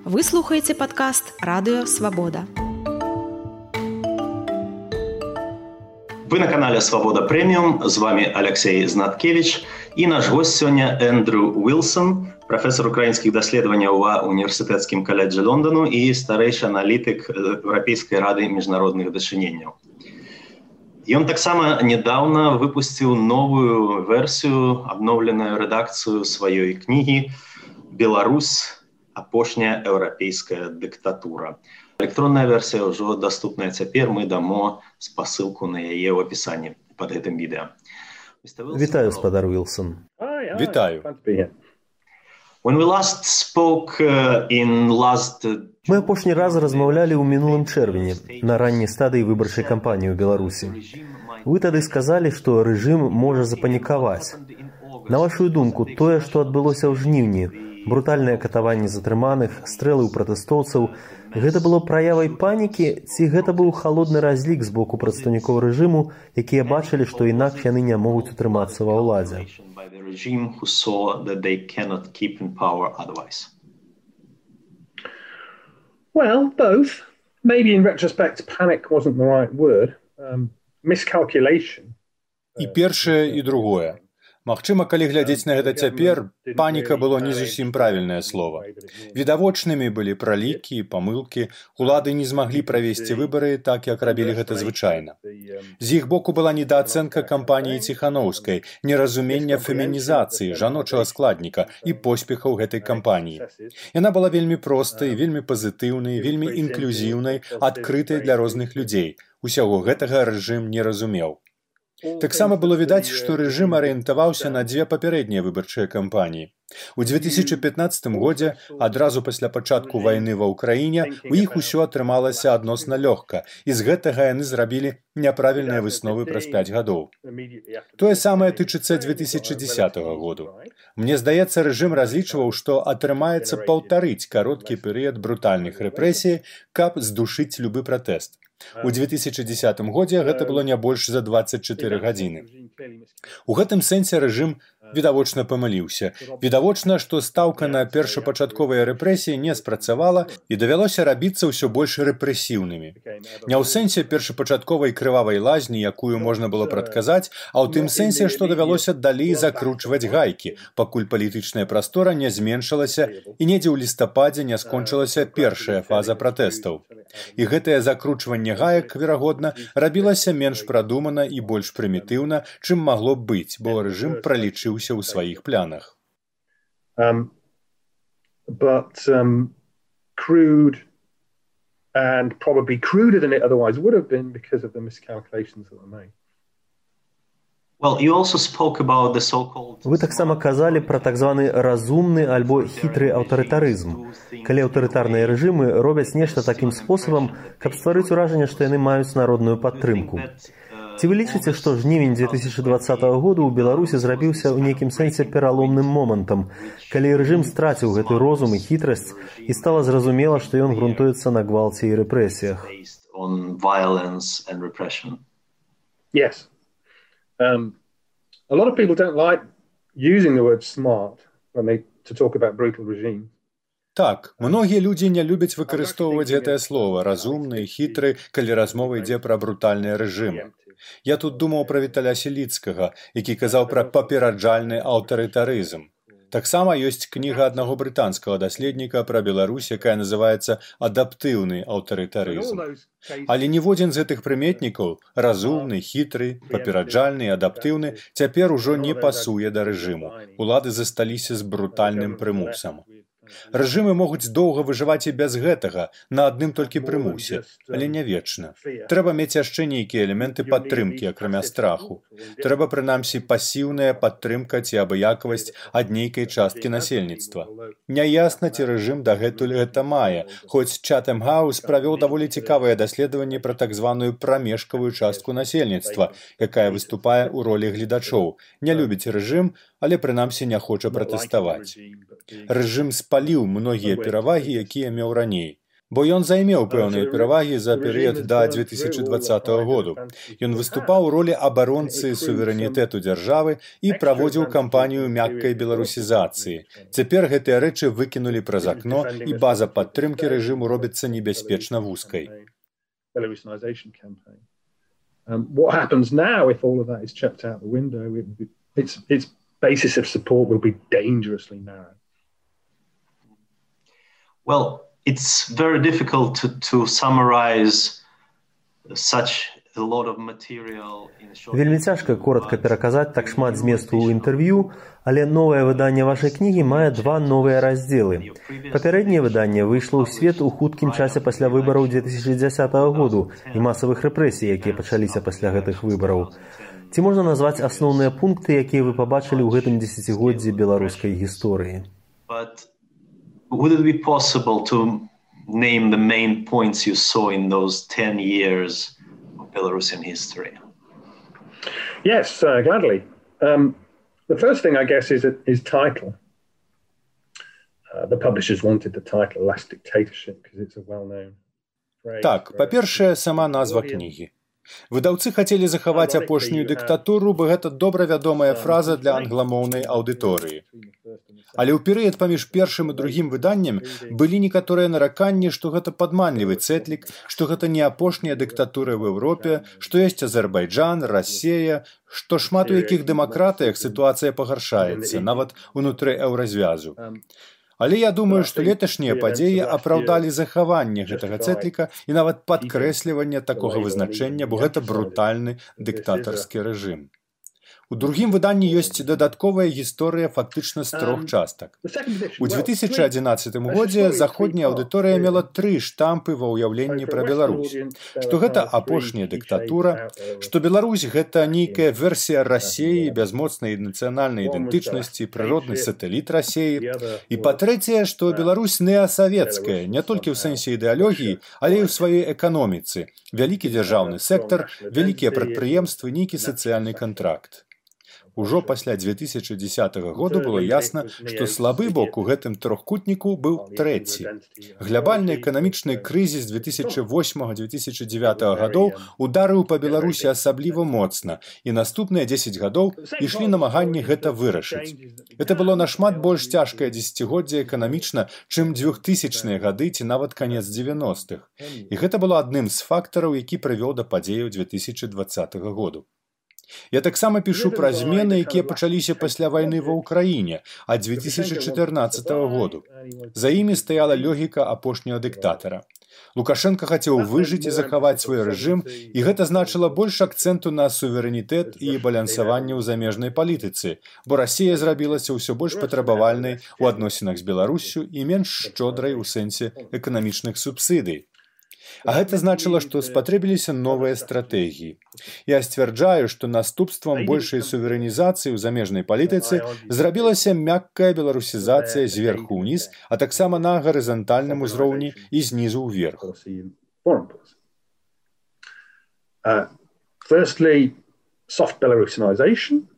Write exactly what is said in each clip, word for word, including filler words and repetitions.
Вы слухаеце падкаст «Радыё Свабода». Вы на канале «Свобода Премиум». З вами Алексей Знаткевич. І наш гость сёння Эндрю Уилсон, професор украінскіх даследаванняў ва універсітэцкім каледжы Лондану і старэйшы аналітык Еўрапейскай рады міжнародных дачыненняў. Ён таксама недавно выпусціў новую версію, абноўленую рэдакцыю сваёй кнігі «Беларусь. Апошняя еўрапейская дыктатура». Электронная версія ўжо доступная цяпер, мы дамо спасылку на яе ў апісанні пад гэтым відэа. Вітаю, спадар Уилсон. Вітаю. When we last spoke uh, in last... Мы апошні раз размаўлялі ў мінулым чэрвені на ранняй стадыі выбарчай кампаніі ў Беларусі. Вы тады сказалі, што рэжым можа запанікаваць. На вашу думку, тое, што адбылося ў жніўні, брутальныя катаванні затрыманых, стрэлы ў пратэстоўцаў, гэта было праявай панікі, ці гэта быў халодны разлік з боку прадстаўнікоў рэжыму, якія бачылі, што інакш яны не могуць утрымацца ва ўладзе? Well, both. Maybe in retrospect, panic wasn't the right word. Um, miscalculation. І першае, і другое. Магчыма, калі глядзець на гэта цяпер, паніка было не зусім правільнае слова. Відавочнымі былі пралікі і памылкі, улады не змаглі правесці выбары так, як рабілі гэта звычайна. З іх боку была недаацэнка кампаніі Ціханаўскай, неразуменне фемінізацыі, жаночага складніка і поспехаў гэтай кампаніі. Яна была вельмі простай, вельмі пазітыўнай, вельмі інклюзіўнай, адкрытай для розных людзей. Усяго гэтага рэжым не разумеў. Таксама было відаць, што рэжым арыентаваўся на дзве папярэднія выбарчыя кампаніі. У дзве тысячы пятнаццатым годзе, адразу пасля пачатку вайны ва ўкраіне, у іх усё атрымалася адносна лёгка, і з гэтага яны зрабілі няправільныя высновы праз пяць гадоў. Тое самае тычыцца дзве тысячы дзесятага году. Мне здаецца, рэжым разлічваў, што атрымаецца паўтарыць кароткі перыяд брутальных рэпрэсій, каб здушыць любы пратэст. У дзве тысячы дзесятым годзе гэта было не больш за дваццаць чатыры гадзіны. У гэтым сэнсе рэжым відавочна памыліўся. Відавочна, што стаўка на першапачатковыя рэпрэсіі не спрацавала і давялося рабіцца ўсё больш рэпрэсіўнымі. Не ў сэнсе першапачатковай крывавай лазні, якую можна было прадказаць, а ў тым сэнсе, што давялося далей закручваць гайкі, пакуль палітычная прастора не зменшылася і недзе ў лістападзе не скончылася першая фаза пратэстаў. І гэтае закручванне гаек, верагодна, рабілася менш прадумана і больш прымітыўна, чым магло б быць, бо рэжым пралічыўся ў сваіх планах. Um, but um, crude and probably cruder than it otherwise would have been because of the miscalculations that were made. Well, you also spoke about the so-called... Вы таксама казалі пра так званы разумны альбо хітры аўтарытарызм, калі аўтарытарныя рэжымы робяць нешта такім спосабам, каб стварыць уражанне, што яны маюць народную падтрымку. Ці вы лічыце, што жнівень дзве тысячы дваццатага году ў Беларусі зрабіўся ў нейкім сэнсе пераломным момантам, калі рэжым страціў гэты розум і хітрасць і стала зразумела, што ён грунтуецца на гвалце і рэпрэсіях? Yes. Um, a lot of people don't like using the word smart when they to talk about brutal regimes. Так, многія людзі не любяць выкарыстоўваць гэтае слова «разумны» і «хітры», калі размова ідзе пра брутальныя рэжымы. Я тут думаў пра Віталя Сіліцкага, які казаў пра папераджальны аўтарытарызм. Таксама ёсць кніга аднаго брытанскага даследніка пра Беларусь, якая называецца «Адаптыўны аўтарытарызм». Але ніводзін з гэтых прыметнікаў – разумны, хітры, папераджальны і адаптыўны – цяпер ужо не пасуе да рэжыму. Улады засталіся з брутальным прымусам. Рэжымы могуць доўга выжываць і без гэтага, на адным толькі прымусе, але не вечна. Трэба мець яшчэ нейкія элементы падтрымкі, акрамя страху. Трэба, прынамсі, пасіўная падтрымка ці абыякавасць ад нейкай часткі насельніцтва. Няясна, ці рэжым дагэтуль гэта мае, хоць Чатэм Хаус правёў даволі цікавыя даследаванні пра так званую прамежкавую частку насельніцтва, якая выступае ў ролі гледачоў. Не любіць рэжым, але прынамсі не хоча пратэставаць. Рэжым спаліў многія перавагі, якія меў раней. бо ён займеў пэўныя перавагі за перыяд да дзве тысячы дваццатага году. Ён выступаў у ролі абаронцы суверэнітэту дзяржавы і праводзіў кампанію мяккай беларусізацыі. Цяпер гэтыя рэчы выкінулі праз акно, і база падтрымкі рэжыму робіцца небяспечна вузкай. Um, what happens now if all of that is chucked out the window? It, its, its basis of support will be dangerously narrow. Well, it's very difficult to, to summarize such a lot of material in a short... Вельмі цяжка коротка пераказаць так шмат зместу ў інтэрв'ю, але новае выданне вашай кнігі мае два новыя раздзелы. Папярэдняе выданне выйшло ў свет у хуткім часе пасля выбараў дзве тысячы дзесятага году і масавых рэпрэсій, якія пачаліся пасля гэтых выбараў. Ці можна назваць асноўныя пункты, якія вы пабачылі ў гэтым дзесяцігоддзі беларускай гісторыі? But would it be possible to name the main points you saw in those ten years of Belarusian history? Yes, uh, gladly. Um, the first thing, I guess, is, is title. Uh, the publishers wanted the title Last Dictatorship because it's a well-known phrase. Так, па-першае, сама назва кнігі. Выдаўцы хацелі захаваць апошнюю дыктатуру, бо гэта добра вядомая фраза для англамоўнай аўдыторыі. Але ў перыяд паміж першым і другім выданнем былі некаторыя нараканні, што гэта падманлівы цэтлік, што гэта не апошняя дыктатура ў Еўропе, што ёсць Азербайджан, Расія, што шмат у якіх дэмакратыях сітуацыя пагаршаецца, нават унутры еўразвязу. Але я думаю, што леташнія падзеі апраўдалі захаванне гэтага цэтліка і нават падкрэсліванне такога вызначэння, бо гэта брутальны дыктатарскі рэжым. У другім выданні ёсць дадатковая гісторыя фактычна з трох частак. У дзве тысячы адзінаццатым годзе заходняя аўдыторыя мела тры штампы ва ўяўленні пра Беларусь. Што гэта апошняя дыктатура, што Беларусь гэта нейкая версія Расіі без моцнай нацыянальнай ідэнтычнасці, прыродны сатэліт Расіі. І па-трэцяе, што Беларусь неасавецкая, не толькі ў сэнсе ідэалогіі, але і ў сваёй эканоміцы. Вялікі дзяржаўны сектар, вялікія прадпрыемствы, нейкі сацыяльны кантракт. Ужо пасля дзве тысячы дзесятага году было ясна, што слабы бок у гэтым трохкутніку быў трэці. Глябальны эканамічны крызіс дзве тысячы восьмага - дзве тысячы дзевятага гадоў ударыў па Беларусі асабліва моцна, і наступныя дзесяць гадоў ішлі намаганні гэта вырашыць. Гэта было нашмат больш цяжкае дзесяцігоддзе эканамічна, чым дзвюхтысячныя гады ці нават канец дзевяностых. І гэта было адным з фактараў, які прывёў да падзеяў дзве тысячы дваццатага году. Я таксама пішу пра змены, якія пачаліся пасля вайны ва ўкраіне, ад дзве тысячы чатырнаццатага году. За імі стаяла логіка апошняга дыктатара. Лукашенка хацеў выжыць і захаваць свой рэжым, і гэта значыла больш акцэнту на суверэнітэт і балансаванне ў замежнай палітыцы, бо Расія зрабілася ўсё больш патрабавальнай у адносінах з Беларуссю і менш шчодрай у сэнсе эканамічных субсідый. А гэта значыла, што спатрэбіліся новыя стратэгіі. Я сцвярджаю, што наступствам большай суверэнізацыі ў замежнай палітыцы зрабілася мяккая беларусізацыя зверху ўніз, а таксама на гарызантальным узроўні і знізу ўверх. Uh, firstly, soft Belarusinization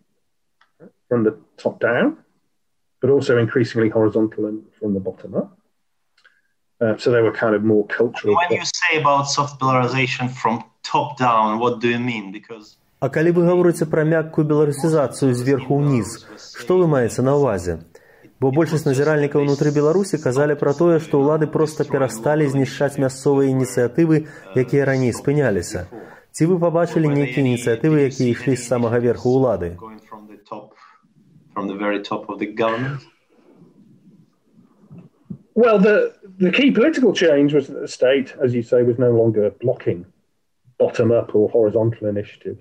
from the top down, but also increasingly horizontal and from the bottom up. Uh, so they were kind of more cultural. When you say about soft Belarusinization from top down, what do you mean? Because А калі вы гаворыце пра мяккую беларусізацыю зверху ўніз, што вы маеце на ўвазе? Бо большасць назіральнікаў унутры Беларусі казалі пра тое, што ўлады проста перасталі знішчаць мясцовыя ініцыятывы, якія раней спыняліся. Ці вы пабачылі нейкія ініцыятывы, якія ішлі з самага верху ўлады? Well, the, the key political change was that the state, as you say, was no longer blocking bottom-up or horizontal initiatives.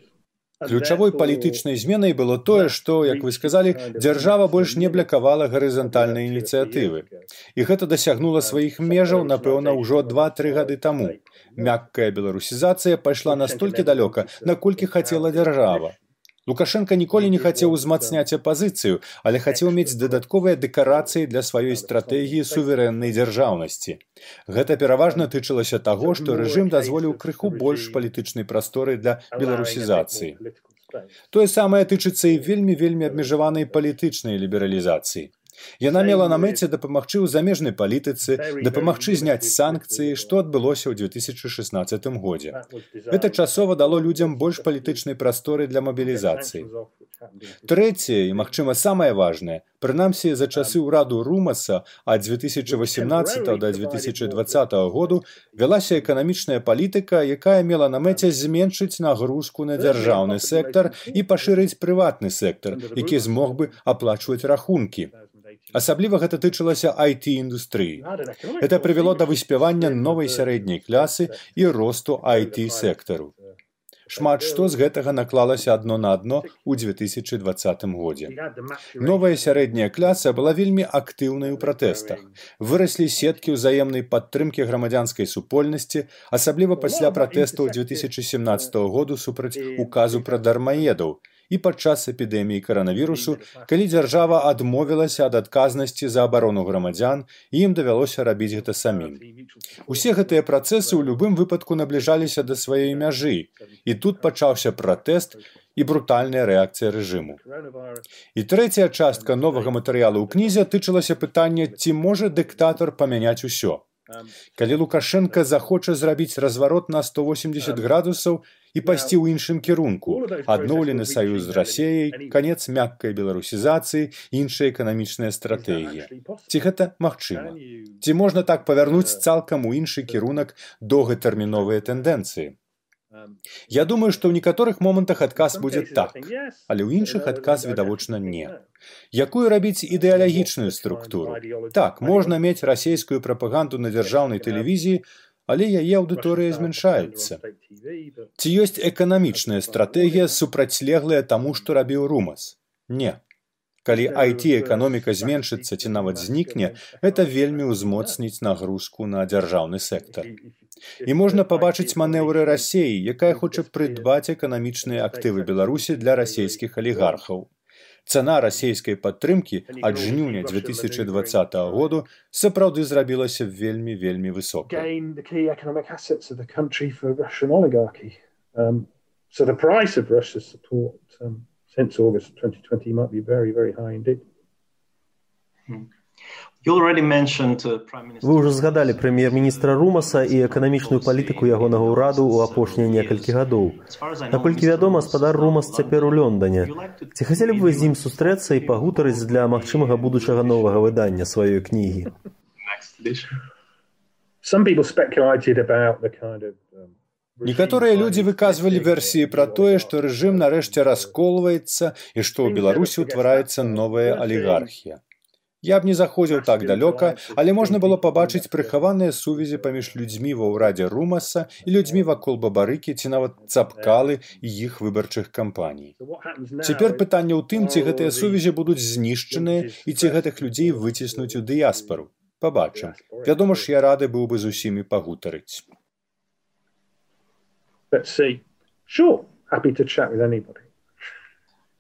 Ключавой палітычнай зменай было тое, што, як вы сказалі, дзяржава больш не блакавала гарызантальныя ініцыятывы. І гэта дасягнула сваіх межаў, напэўна, ўжо два-тры гады таму. Мяккая беларусізацыя пайшла настолькі далёка, наколькі хацела дзяржава. Лукашенка ніколі не хацеў узмацняць апазіцыю, але хацеў мець дадатковыя дэкарацыі для сваёй стратэгіі суверэннай дзяржаўнасці. Гэта пераважна тычылася таго, што рэжым дазволіў крыху больш палітычнай прасторы для беларусізацыі. Тое самае тычыцца і вельмі-вельмі абмежаванай палітычнай лібералізацыі. Яна мела на мэце дапамагчы ў замежнай палітыцы, дапамагчы зняць санкцыі, што адбылося ў две тысячы шаснаццатым годзе. Гэта часова дало людзям больш палітычнай прасторы для мабілізацыі. Трэцяе, і, магчыма, самае важнае, прынамсі за часы ўраду Румаса ад две тысячы васемнаццатага да две тысячы дваццатага году вялася эканамічная палітыка, якая мела на мэце зменшыць нагрузку на дзяржаўны сектар і пашырыць прыватны сектар, які змог бы аплачваць рахункі. Асабліва гэта тычылася ай ти-індустрыі. Гэта прывяло да выспявання новай сярэдняй класы і росту ай ти-сектару. Шмат што з гэтага наклалася адно на адно ў две тысячы дваццатым годзе. Новая сярэдняя класа была вельмі актыўнай у пратэстах. Выраслі сеткі ўзаемнай падтрымкі грамадзянскай супольнасці, асабліва пасля пратэстаў две тысячы сямнаццатага году супраць указу пра дармаедаў, і падчас эпідэміі каранавірусу, калі дзяржава адмовілася ад адказнасці за абарону грамадзян, і ім давялося рабіць гэта самім. Усе гэтыя працэсы ў любым выпадку набліжаліся да сваёй мяжы, і тут пачаўся пратэст і брутальная рэакцыя рэжыму. І трэцяя частка новага матэрыялу ў кнізе тычылася пытання, ці можа дыктатар памяняць усё. Калі Лукашенка захоча зрабіць разварот на сто восемьдесят градусаў і пайсці ў іншым кірунку, адноўлены саюз з Расіяй, канец мяккай беларусізацыі, іншая эканамічная стратэгія. Ці гэта магчыма? Ці можна так павярнуць цалкам у іншы кірунак доўгатэрміновыя тэндэнцыі? Я думаю, што ў некаторых момантах адказ будзе так, але ў іншых адказ відавочна не. Якую рабіць ідэалагічную структуру? Так, можна мець расійскую прапаганду на дзяржаўнай тэлевізіі, але яе аўдыторыя змяншаецца. Ці ёсць эканамічная стратэгія, супрацьлеглая таму, што рабіў Румас? Не. Калі ай ти-эканоміка зменшыцца ці нават знікне, гэта вельмі ўзмоцніць нагрузку на дзяржаўны сектар. І можна пабачыць манеўры Расіі, якая хоча прыдбаць эканамічныя актывы Беларусі для расійскіх алігархаў. Цана расійскай падтрымкі ад жніўня две тысячы дваццатага году сапраўды зрабілася вельмі-вельмі высокай. Since August twenty twenty might be very, very high indeed. Вы ўжо згадалі прэм'ер-міністра Румаса і эканамічную палітыку ягонага ўраду ў апошнія некалькі гадоў. Наколькі вядома, гаспадар Румас цяпер у Лондоне. Ці хацелі б вы з ім сустрэцца і пагутарыць для магчымага будучага новага выдання сваёй кнігі? Some people speculated about the kind of Некаторыя людзі выказвалі версіі пра тое, што рэжым нарэшце расколваецца і што ў Беларусі ўтвараецца новая алігархія. Я б не заходзіў так далёка, але можна было пабачыць прыхаваныя сувязі паміж людзьмі ва ўрадзе Румаса і людзьмі вакол Бабарыкі ці нават Цапкалы і іх выбарчых кампаній. Цяпер пытанне ў тым, ці гэтыя сувязі будуць знішчаныя і ці гэтых людзей выціснуць у дыяспару. Пабачым. Вядома ж, я рады быў бы з усімі пагутарыць. Let's see. Sure, happy to chat with anybody.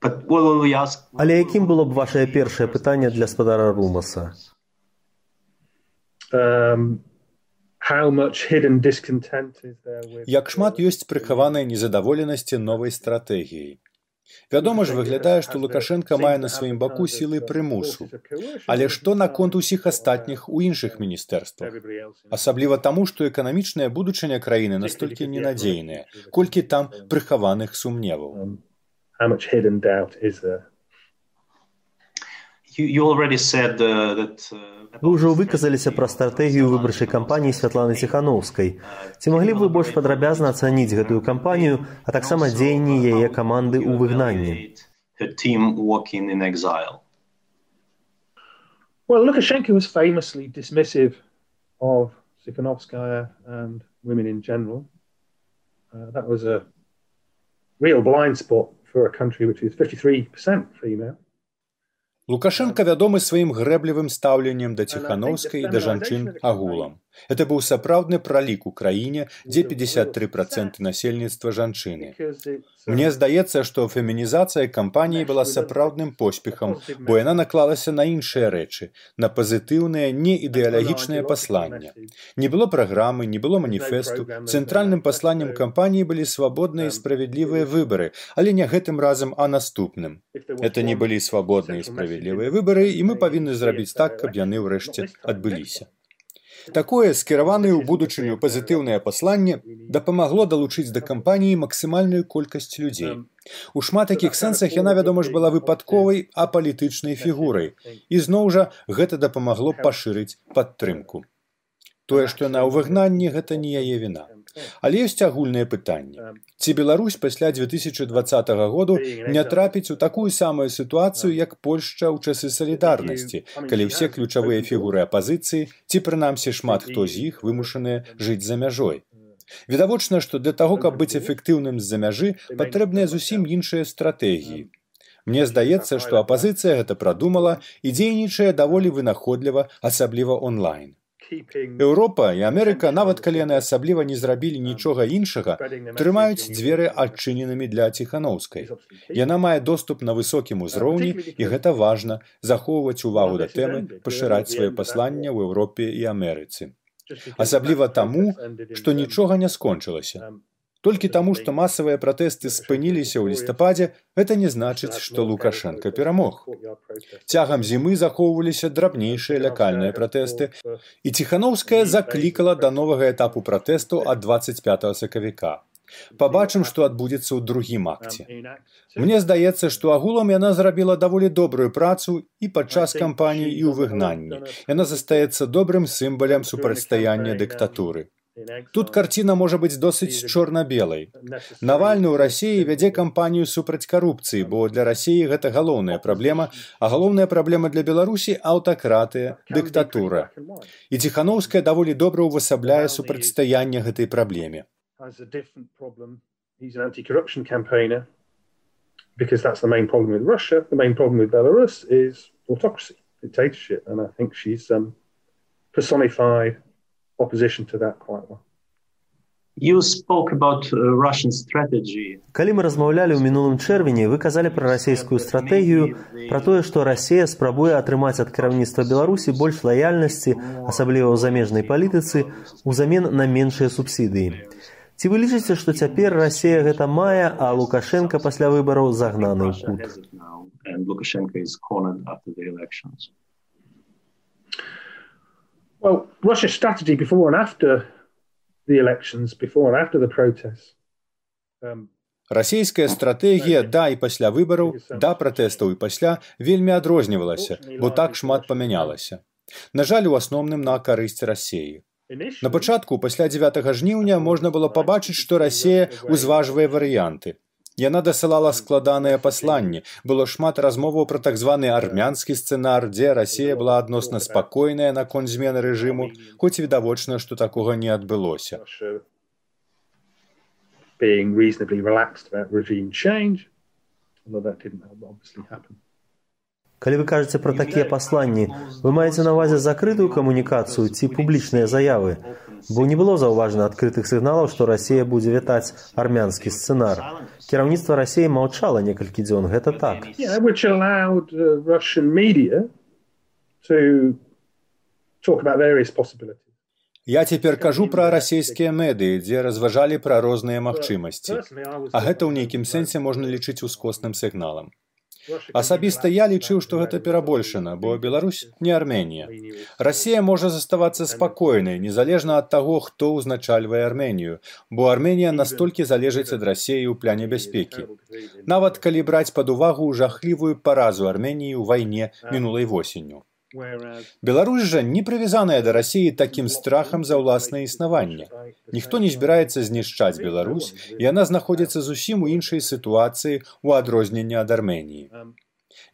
Але якім было б вашае першае пытанне для гаспадара Румаса? Um, how much hidden discontent is there with... Як шмат ёсць прыхаванай незадаволенасці новай стратэгіяй. Вядома ж, выглядае, што Лукашенка мае на сваім баку сілы прымусу. Але што наконт усіх астатніх у іншых міністэрствах? Асабліва таму, што эканамічная будучыня краіны настолькі ненадзейная, колькі там прыхаваных сумневаў. Вы ўжо выказаліся пра стратэгію выбарчай кампаніі Святланы Ціханаўскай. Ці маглі б вы больш падрабязна ацаніць гэтую кампанію, а таксама дзеянні яе каманды ў выгнанні? Well, Lukashenko was famously dismissive of Tikhanovskaya and women in general. Uh, that was a real blind spot for a country which is fifty-three percent female. Лукашенка вядомы сваім грэблівым стаўленнем да Ціханаўскай і да жанчын агулам. Это быў сапраўдны пралік у краіне, дзе пятьдесят три процента насельніцтва жанчыны. Мне здаецца, што фемінізацыя кампаніі была сапраўдным поспехам, бо яна наклалася на іншыя рэчы, на пазітыўнае, неідэалагічнае пасланне. Не было праграмы, не было маніфесту. Цэнтральным пасланнем кампаніі былі свабодныя і справядлівыя выбары, але не гэтым разам, а наступным. Это не былі свабодныя і справядлівыя выбары, і мы павінны зрабіць так, каб яны ўрэшце адбыліся. Такое скіраванае ў будучыню пазітыўнае пасланне дапамагло далучыць да кампаніі максімальную колькасць людзей. У шмат якіх сэнсах яна, вядома ж, была выпадковай, апалітычнай фігурай. І зноў жа гэта дапамагло пашырыць падтрымку. Тое, што яна ў выгнанні, гэта не яе віна. Але ёсць агульнае пытанне. Ці Беларусь пасля две тысячи двадцатага году не трапіць у такую самую сітуацыю, як Польшча ў часы салідарнасці, калі ўсе ключавыя фігуры апазіцыі, ці прынамсі шмат хто з іх вымушаныя жыць за мяжой. Відавочна, што для таго, каб быць эфектыўным з-за мяжы, патрэбныя зусім іншыя стратэгіі. Мне здаецца, што апазіцыя гэта прадумала і дзейнічае даволі вынаходліва, асабліва онлайн. Еўропа і Амерыка, нават калі яны асабліва не зрабілі нічога іншага, трымаюць дзверы адчыненымі для Ціханаўскай. Яна мае доступ на высокім узроўні, і гэта важна, захоўваць увагу да тэмы, пашыраць свае паслання ў Еўропе і Амерыцы. Асабліва таму, што нічога не скончылася. Толькі таму, што масавыя пратэсты спыніліся ў лістападзе, гэта не значыць, што Лукашенка перамог. Цягам зімы захоўваліся драбнейшыя лакальныя пратэсты, і Ціханаўская заклікала да новага этапу пратэсту ад дваццаць пятага сакавіка. Пабачым, што адбудзецца ў другім акце. Мне здаецца, што агулам яна зрабіла даволі добрую працу і падчас кампаніі, і ў выгнанні. Яна застаецца добрым сімвалам супрацьстаяння дыктатуры. Тут карціна можа быць досыць чорна-белай. Навальны ў Расіі вядзе кампанію супраць карупцыі, бо для Расіі гэта галоўная праблема, а галоўная праблема для Беларусі – аўтакратыя, дыктатура. І Ціханаўская даволі добра ўвасабляе супрацьстаянне гэтай праблеме. Because that's the main problem with Russia. The main problem with Belarus is autocracy, dictatorship, and I think she's um, personified opposition to that quite well. You spoke about uh, Russian strategy. Калі мы размаўлялі ў мінулым чэрвені, вы казалі пра расійскую стратэгію, пра тое, што Расія спрабуе атрымаць ад кіраўніцтва Беларусі больш лаяльнасці, асабліва ў замежнай палітыцы, узамен на меншыя субсідыі. Ці вы лічыце, што цяпер Расія гэта мае, а Лукашенка пасля выбараў загнаны ў кут? Well, Russia's strategy before and after the elections, before and after the protests. Um, Расійская стратэгія да і пасля выбараў, да пратэстаў і пасля вельмі адрознівалася, бо так шмат памянялася. На жаль, у асноўным на карысць Расіі. На пачатку, пасля дзевятага жніўня, можна было пабачыць, што Расія узважвае варыянты. Яна дасылала складаныя пасланні. Было шмат размоваў пра так званы армянскі сцэнар, дзе Расія была адносна спакойная наконт змены рэжыму, хоць відавочна, што такога не адбылося. Being reasonably relaxed about regime change, although that didn't obviously happen. Калі вы кажаце пра такія пасланні, вы маеце на ўвазе закрытую камунікацыю ці публічныя заявы? Бо не было заўважана адкрытых сігналаў, што Расія будзе вітаць армянскі сцэнар. Кіраўніцтва Расіі маўчала некалькі дзён, гэта так. Yeah, which allowed uh, Russian media to talk about various possibilities. Я цяпер кажу пра расійскія медыі, дзе разважалі пра розныя магчымасці. А гэта ў нейкім сэнсе можна лічыць ускосным сігналам. Асабіста я лічыў, што гэта перабольшана, бо Беларусь не Арменія. Расія можа заставацца спакойнай, незалежна ад таго, хто ўзначальвае Арменію, бо Арменія настолькі залежыць ад Расіі ў пляне бяспекі. Нават калі браць пад увагу жахлівую паразу Арменіі ў вайне мінулай восенню. Беларусь жа не прывязаная да Расіі такім страхам за ўласнае існаванне. Ніхто не збіраецца знішчаць Беларусь, і яна знаходзіцца зусім у іншай сітуацыі ў адрозненні ад Арменіі.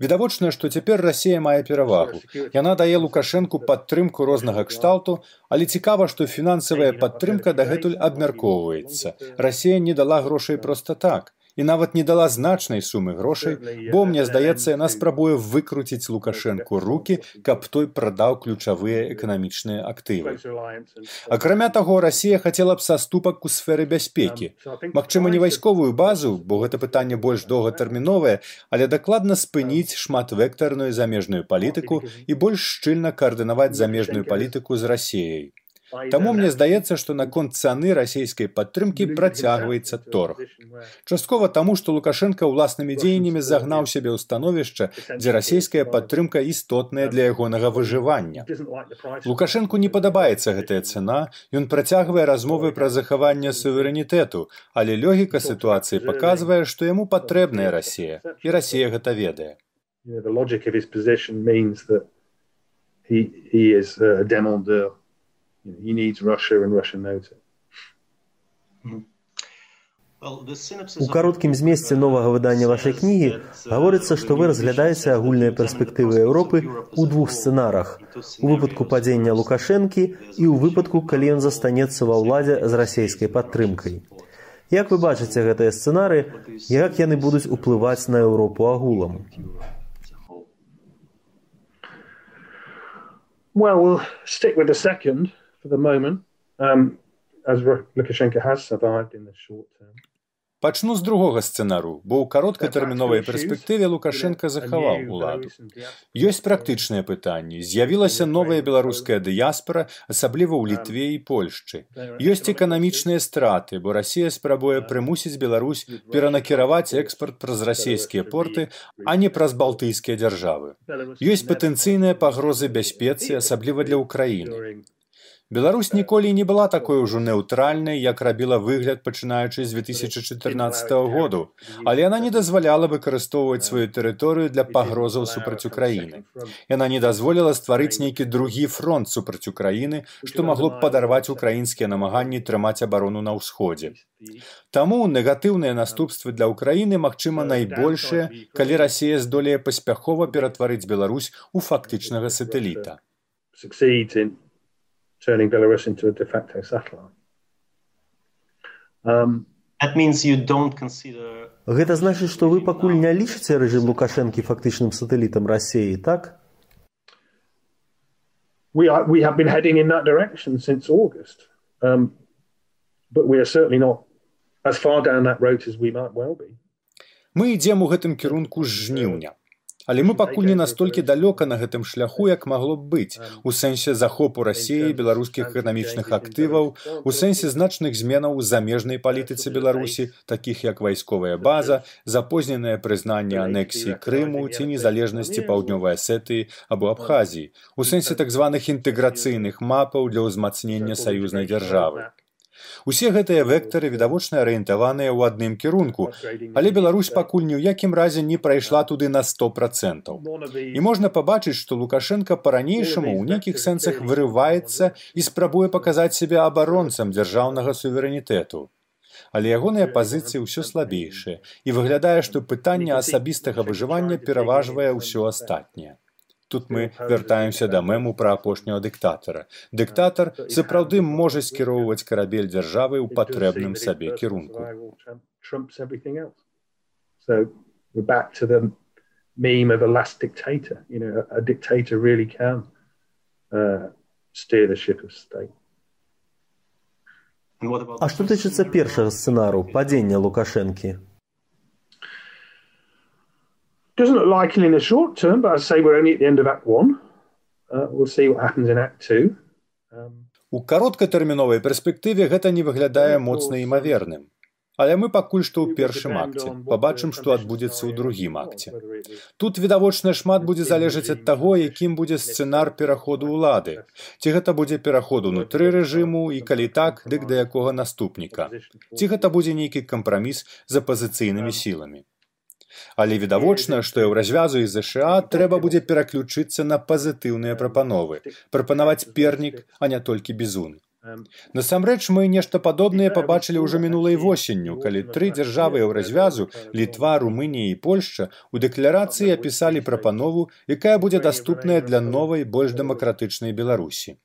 Відавочна, што цяпер Расія мае перавагу. Яна дае Лукашэнку падтрымку рознага кшталту, але цікава, што фінансавая падтрымка дагэтуль абмяркоўваецца. Расія не дала грошай проста так. і нават не дала значнай сумы грошай, бо, мне здаецца, яна спрабуе выкруціць Лукашэнку рукі, каб той прадаў ключавыя эканамічныя актывы. Акрамя таго, Расія хацела б саступак у сферы бяспекі. Магчыма, не вайсковую базу, бо гэта пытанне больш доўгатэрміновае, але дакладна спыніць шматвектарную замежную палітыку і больш шчыльна каардынаваць замежную палітыку з Расіяй. Таму мне здаецца, што наконт цаны расійскай падтрымкі працягваецца торг. Часткова таму, што Лукашенка ўласнымі дзеяннямі загнаў сябе ў становішча, дзе расійская падтрымка істотная для ягонага выжывання. Лукашэнку не падабаецца гэтая цана, ён працягвае размовы пра захаванне суверэнітэту, але логіка ситуацыі паказвае, што яму патрэбная Расія, і Расія гэта ведае. He needs Russia and Russia knows it. У кароткім змесце новага выдання вашай кнігі гаворыцца, што вы разглядаеце агульныя перспектывы Еўропы ў двух сцэнарах. У выпадку падзення Лукашэнкі і ў выпадку, калі ён застанецца ва ўладзе з расійскай падтрымкай. Як вы бачыце гэтыя сцэнары, як яны будуць уплываць на Еўропу агулам? Well, we'll stick with the second. For the moment, um, as Lukashenko has survived in the short term. Пачну з другога сцэнару, бо ў кароткатэрміновай перспектыве Лукашенка захаваў уладу. Ёсць практычныя пытанні. З'явілася новая беларуская дыяспара, асабліва ў Літве і Польшчы. Ёсць эканамічныя страты, бо Расія спрабуе прымусіць Беларусь перанакіраваць экспарт праз расійскія порты, а не праз балтыйскія дзяржавы. Ёсць патэнцыйныя пагрозы бяспецы, асабліва для Ўкраіны. Беларусь ніколі не была такой ужо неўтральнай, як рабіла выгляд, пачынаючы з две тысячы чатырнаццатага году, але яна не дазваляла выкарыстоўваць сваю тэрыторыю для пагрозаў супраць Украіны. Яна не дазволіла стварыць нейкі другі фронт супраць Украіны, што магло б падарваць украінскія намаганні трымаць абарону на ўсходзе. Таму негатыўныя наступствы для Украіны, магчыма, найбольшыя, калі Расія здолее паспяхова ператварыць Беларусь у фактычнага сатэліта. Turning Belarus into a de facto satellite. Um, That means you don't consider... Гэта значыць, што вы пакуль не лічыце рэжым Лукашэнкі фактычным сатэлітам Расіі, так? We are, we have been heading in that direction since August. Um, but we are certainly not as far down that road as we might well be. Мы ідзем у гэтым кірунку з жніўня. Але мы пакуль не настолькі далёка на гэтым шляху, як магло б быць, у сэнсе захопу Расіі беларускіх эканамічных актываў, у сэнсе значных зменаў у замежнай палітыцы Беларусі, такіх як вайсковая база, запозненае прызнанне анексіі Крыму ці незалежнасці Паўднёвай Асетыі або Абхазіі, у сэнсе так званых інтэграцыйных мапаў для ўзмацнення саюзнай дзяржавы. Усе гэтыя вектары відавочна арыентаваныя ў адным кірунку, але Беларусь пакуль ні ў якім разе не прайшла туды на сто процентаў. І можна пабачыць, што Лукашенка па-ранейшаму ў нейкіх сэнсах вырываецца і спрабуе паказаць сябе абаронцам дзяржаўнага суверэнітэту. Але ягоныя пазіцыі ўсё слабейшыя, і выглядае, што пытанне асабістага выжывання пераважвае ўсё астатняе. Тут мы вяртаемся да мэму пра апошняга дыктатара. Дыктатар сапраўды можа скіроўваць карабель дзяржавы ў патрэбным сабе кірунку. So we're back to the meme of a last dictator. You know, a dictator really can uh, steer the ship of state. А што тычыцца першага сцэнару, падзення Лукашэнкі? Doesn't look likely in the short term, but I'd say we're only at the end of Act One. Uh, we'll see what happens in Act Two. Um, У кароткатэрміновай перспектыве гэта не выглядае моцна імаверным. Але мы пакуль што ў першым акце. Пабачым, што адбудзецца ў другім акце. Тут, відавочна, шмат будзе залежаць ад таго, якім будзе сцэнар пераходу ўлады. Ці гэта будзе пераход унутры рэжыму, і калі так, дык да якога наступніка. Ці гэта будзе нейкі кампраміс з апазіцыйнымі сіламі. Але відавочна, што Еўразвязу і ЗША трэба будзе пераключыцца на пазітыўныя прапановы, прапанаваць пернік, а не толькі бізун. Насамрэч, мы нешта падобнае пабачылі ўжо мінулай восенню, калі тры дзяржавы Еўразвязу, Літва, Румынія і Польшча у дэкларацыі апісалі прапанову, якая будзе даступная для новай, больш дэмакратычнай Беларусі.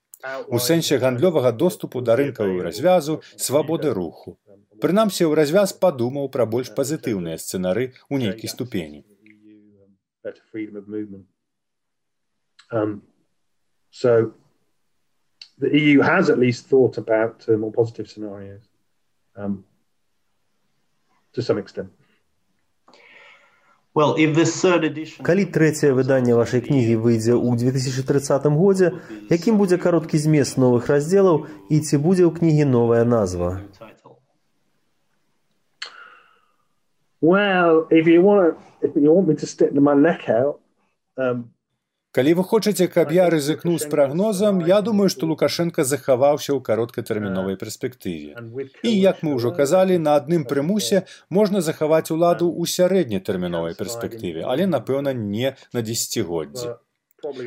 У сэнсе гандлёвага доступу да рынкаў Еўразвязу, свабоды руху. Прынамсі, ў развяз падумаў пра больш пазітыўныя сцэнары ў нейкай ступені. Um, so the E U has at least thought about uh, more positive scenarios um, to some extent. Well, if the third edition... Калі трэцяе выданне вашай кнігі выйдзе ў две тысячы трыццатым годзе, якім будзе кароткі змест новых раздзелаў і ці будзе ў кнігі новая назва? Well, if you want, if you want me to stick my neck out, um, Калі вы хочаце, каб я рызыкнуў з прагнозам, я думаю, што Лукашенка захаваўся ў кароткатэрміновай перспектыве. І, як мы ўжо казалі, на адным прымусе можна захаваць уладу ў сярэднетэрміновай перспектыве, але, напэўна, не на дзесяцігоддзі.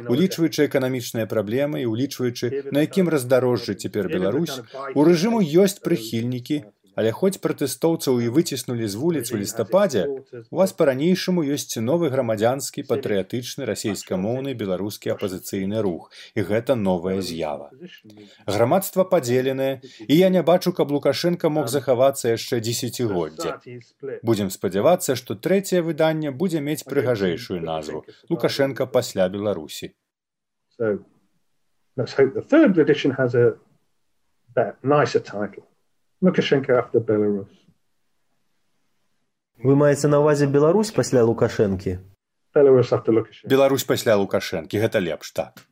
Улічваючы эканамічныя праблемы і улічваючы, на якім раздарожжы цяпер Беларусь, у рэжыму ёсць прыхільнікі, але хоць пратэстоўцаў і выціснулі з вуліц у лістападзе, у вас па-ранейшаму ёсць новы грамадзянскі, патрыятычны, расейскамоўны беларускі апазіцыйны рух. І гэта новая з'ява. Грамадства падзеленае, і я не бачу, каб Лукашенка мог захавацца яшчэ дзесяцігоддзя. Будзем спадзявацца, што трэцяе выданне будзе мець прыгажэйшую назву «Лукашенка пасля Беларусі». So, let's hope the third edition has a nicer title. Lukashenko after Belarus. Вы маеце на ўвазе Беларусь пасля Лукашэнкі? Belarus after Lukashenko. Беларусь пасля Лукашэнкі, гэта лепш, так.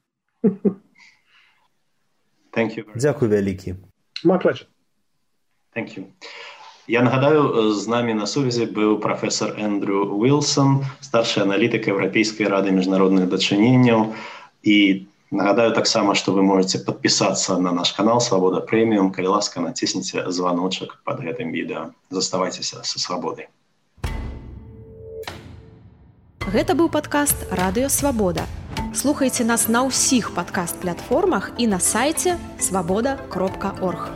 Thank you. Дзякуй вялікі. My pleasure. Thank you. Я нагадаю, з намі на сувязі быў прафесор Эндрю Уилсон, старшы аналітык Еўрапейскай рады міжнародных дачыненняў, і нагадаю таксама, што вы можете падпісацца на наш канал «Свабода Прэміум». Калі ласка, націсніце званочак пад гэтым відэа. Заставайцеся са свабодай. Гэта быў падкаст «Радыё Свабода». Слухайце нас на ўсіх падкаст-платформах і на сайце свабода кропка орг.